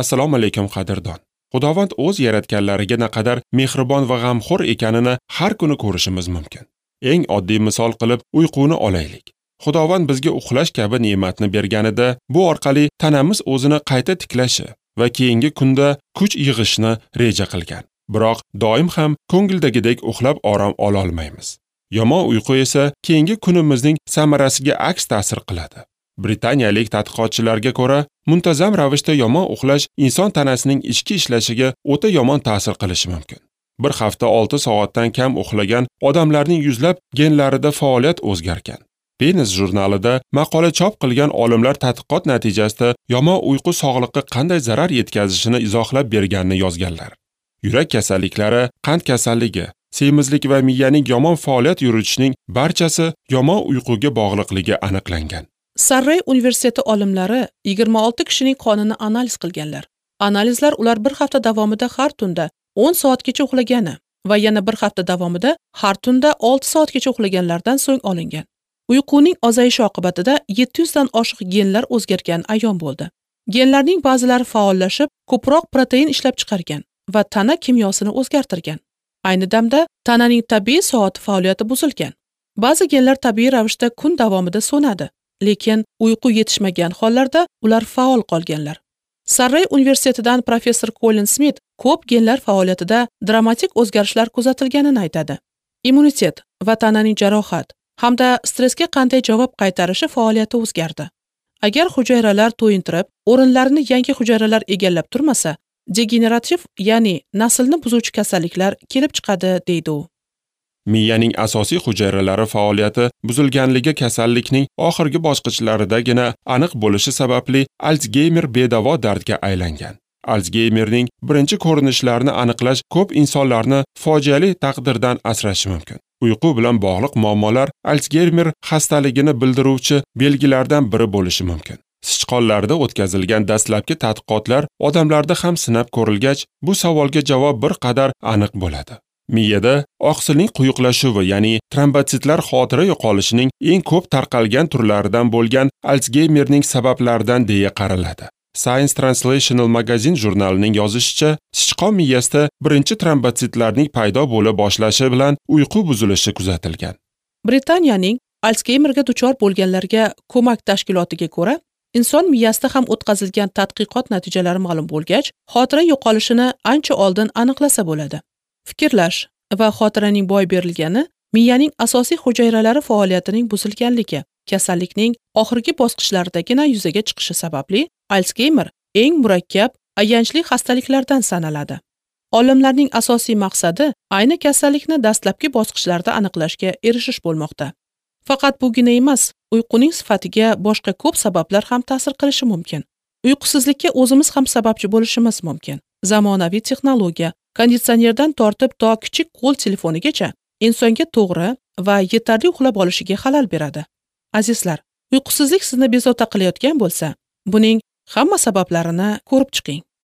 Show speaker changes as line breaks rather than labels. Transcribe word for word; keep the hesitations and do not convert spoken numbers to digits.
Assalomu alaykum qadrdon. Xudovand o'z yaratganlariga naqadar mehribon va g'amxo'r ekanini har kuni ko'rishimiz mumkin. Eng oddiy misol qilib uyquni olaylik. Xudovand bizga uxlash kabi ne'matni berganida, bu orqali tanamiz o'zini qayta tiklashi va keyingi kunda kuch yig'ishni reja qilgan. Biroq doim ham ko'ngildagidek uxlab orom ola olmaymiz. Yomon uyqu esa keyingi kunimizning samarasiga aks ta'sir qiladi. Britaniyalik tadqiqotchilarga ko'ra, muntazam ravishda yomon uxlash inson tanasining ichki ishlashiga o'ta yomon ta'sir qilishi mumkin. Bir hafta olti soatdan kam uxlagan odamlarning yuzlab genlarida faoliyat o'zgargan. Penis jurnalida maqola chop qilgan olimlar tadqiqot natijasida yomon uyqu sog'liqqa qanday zarar yetkazishini izohlab berganini yozganlar. Yurak kasalliklari, qand kasalligi, semizlik va miyaning yomon faoliyat yuritishining barchasi yomon uyquga bog'liqligi aniqlangan.
Sarrey universiteti olimlari yigirma olti kishining qonini analiz qilganlar. Analizlar ular bir hafta davomida har tunda o'n soatgacha uxlagani va yana bir hafta davomida har tunda olti soatgacha uxlaganlardan so'ng olingan. Uyquning ozayishi oqibatida yetti yuzdan oshiq genlar o'zgargani ayon bo'ldi. Genlarning ba'zilari faollashib, ko'proq protein ishlab chiqargan va tana kimyosini o'zgartirgan. Ayni damda tananing tabiiy soati faoliyati buzilgan. Ba'zi genlar tabiiy ravishda kun davomida so'nadi, lekin uyqu yetishmagan hollarda ular faol qolganlar. Sarrey universitetidan professor Colin Smith ko'p genlar faoliyatida dramatik o'zgarishlar kuzatilganini aytadi. Immunitet va tananing jarohat hamda stressga qanday javob qaytarishi faoliyati o'zgardi. Agar hujayralar to'yintirib, o'rinlarini yangi hujayralar egallab turmasa, degenerativ, ya'ni naslni buzuvchi kasalliklar kelib chiqadi, deydi u.
Miyaning asosiy hujayralari faoliyati buzilganligi kasallikning oxirgi bosqichlaridagina aniq bo'lishi sababli Alsgeymer bedavo dardga aylangan. Alsgeymerning birinchi ko'rinishlarini aniqlash ko'p insonlarni fojiali taqdirdan asrashi mumkin. Uyqu bilan bog'liq muammolar Alsgeymer xastaligini bildiruvchi belgilardan biri bo'lishi mumkin. Sichqonlarda o'tkazilgan dastlabki tadqiqotlar odamlarda ham sinab ko'rilgach, bu savolga javob bir qadar aniq bo'ladi. Miyada oqsilning quyuqlashuvi, ya'ni trombotsitlar xotira yo'qolishining eng ko'p tarqalgan turlaridan bo'lgan Alsgeymerning sabablaridan deya qaraladi. Science Translational Magazine jurnalining yozishicha, sichqon miyasida birinchi trombotsitlarning paydo bo'la boshlashi bilan uyqu buzilishi kuzatilgan.
Britaniyaning Alsgeymerga duchor bo'lganlarga ko'mak tashkilotiga ko'ra, inson miyasida ham o'tkazilgan tadqiqot natijalari ma'lum bo'lgach, xotira yo'qolishini ancha oldin aniqlasa bo'ladi. Fikrlash va xotiraning boy berilgani miyaning asosiy hujayralari faoliyatining buzilganligi, kasallikning oxirgi bosqichlaridagina yuzaga chiqishi sababli Alsgeymer eng murakkab, ayanchli xastaliklardan sanaladi. Olimlarning asosiy maqsadi ayni kasallikni dastlabki bosqichlarda aniqlashga erishish bo'lmoqda. Faqat bugina emas, uyquning sifatiga boshqa ko'p sabablar ham ta'sir qilishi mumkin. Uyqusizlikka o'zimiz ham sababchi bo'lishimiz mumkin. Zamonaviy texnologiya, konditsionerdan tortib to kichik qo'l telefonigacha insonga to'g'ri va yetarli uxlab olishiga xalal beradi. Azizlar, uyqusizlik sizni bezovta qilayotgan bo'lsa, buning hamma sabablarini ko'rib chiqing.